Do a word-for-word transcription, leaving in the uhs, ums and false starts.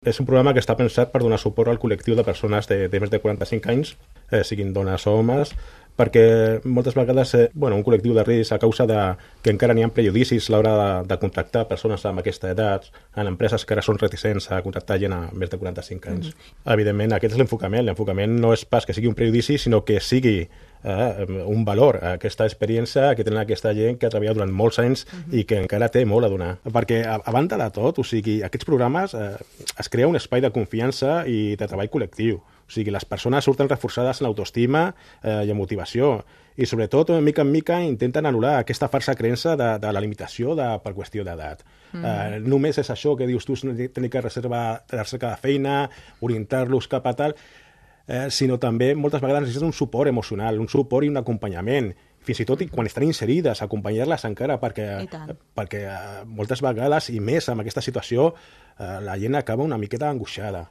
És un programa que està pensat per donar suport al col·lectiu de persones de, de més de quaranta-cinc anys, eh, siguin dones o homes, perquè moltes vegades eh, bueno, un col·lectiu de risc a causa de que encara n'hi ha prejudicis a l'hora de, de contractar persones amb aquesta edat, en empreses que ara són reticents a contractar gent a més de quaranta-cinc anys. Mm-hmm. Evidentment, aquest és l'enfocament. L'enfocament no és pas que sigui un prejudici, sinó que sigui eh, un valor, aquesta experiència que tenen aquesta gent que ha treballat durant molts anys mm-hmm. i que encara té molt a donar. Perquè, a, a banda de tot, o sigui, aquests programes eh, es crea un espai de confiança i de treball col·lectiu. O sigui, les persones surten reforçades en l'autoestima eh, i en motivació. I, sobretot, mica en mica, intenten anul·lar aquesta falsa creença de, de la limitació de, per qüestió d'edat. Mm. Eh, només és això que dius tu, tenir que reservar la recerca de feina, orientar-los cap a tal, eh, sinó també moltes vegades necessiten un suport emocional, un suport i un acompanyament. Fins i tot quan estan inserides, acompanyar-les encara, perquè, perquè eh, moltes vegades, i més en aquesta situació, eh, la gent acaba una miqueta angoixada.